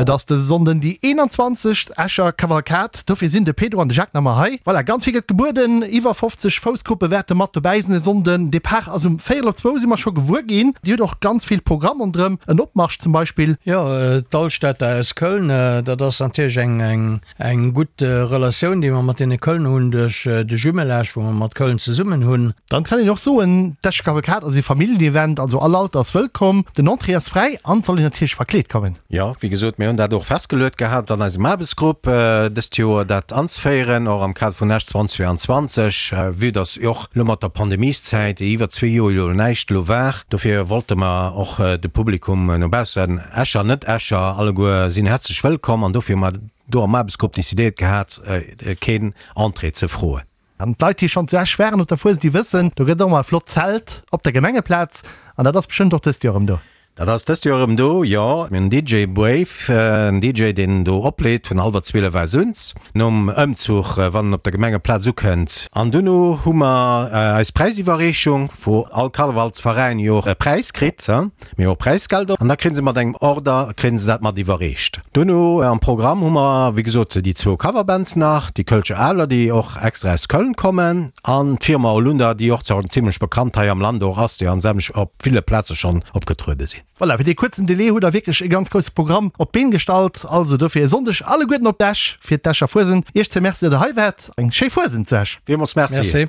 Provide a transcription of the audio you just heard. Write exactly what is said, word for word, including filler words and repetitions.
Et ass dëse Sonnden déi eenanzwanzegst Escher Kavalkad. Dofir sinn de Pedro an de Jacques nach ëmmer hei. Voilà, ganz vill gëtt gebueden. Iwwer fofzeg Foussgruppe wäerte mat dobäi sinn e Sonnden. Depart ass um véierel op zwou, si mer scho gewuer ginn. Dir hutt och ganz vill Programm ronderëm, en Opmarsch zum Beispill. Jo, d'Alstadter aus Köln, dat ass natierlech eng, eng, eng gutt Relatioun, déi mer mat deene Köln hunn duerch de Jumelage, wou mer mat Köln zesummen hunn. Dann kann een och soen, d'Escher Kavalkad ass ee Familljenevent, also all Alter ass wëllkomm. Den Entrée ass fräi an et soll een natierlech verkleet kommen. Jo, wéi gesot, mir hunn dat och festgeluet gehat an eisem Aarbechtsgrupp dëst Joer, dat anzeféieren, och am Kader vun Esch zweitausendzweiundzwanzeg, vue dass och elo mat der Pandemieszäit iwwer zwee Joer jo näischt elo war. Dofir wollte mer och de Publikum no baussen, Escher, Net-Escher, alleguer sinn häerzlech wëllkomm an dofir hu mer do am Aarbechtsgrupp decidéiert gehat, keen Entrée ze froen. An d'Leit, déi schonn zu Esch waren op der Fuesent, déi wëssen, do gëtt och ëmmer e flott Zelt op der Gemengeplaz an dat ass bestëmmt och dëst Joer erëm do. Dat ass dëst Joer erëm do, jo. Mir hunn den D J Brave, en D J, deen do opleet vun hallwer zwielef aus un, nom Ëmzuch, wann en op der Gemengeplaz ukënnt. An duerno hu mer eis Präisiwwerreechung, wou all Karnevalsveräin jo och e Präis kritt. Mir hu och Präisgelder. An da kréie se mat engem Order, kréie se dat mat iwwerreecht. Duerno am Programm hu mer, wéi gesot, déi zwou Coverbands nach, déi Kölsche Adler, déi och extra aus Köln kommen, an d'Firma Holunder, déi och zimlech bekannt hei am Land och ass, déi an sämtlech op ville Plaze schonn opgetruede sinn. Voilà, fir dee kuerzen Delai hutt der wierklech e ganz grousse Programm op d'Been gestallt. Also dofir e Sonndeg alleguerten op d'Esch fir d'Escher Fuesent. Iech zwee Merci, datt der hei waart. Eng schéi Fuesent zu Esch. Villmools Merci. Merci.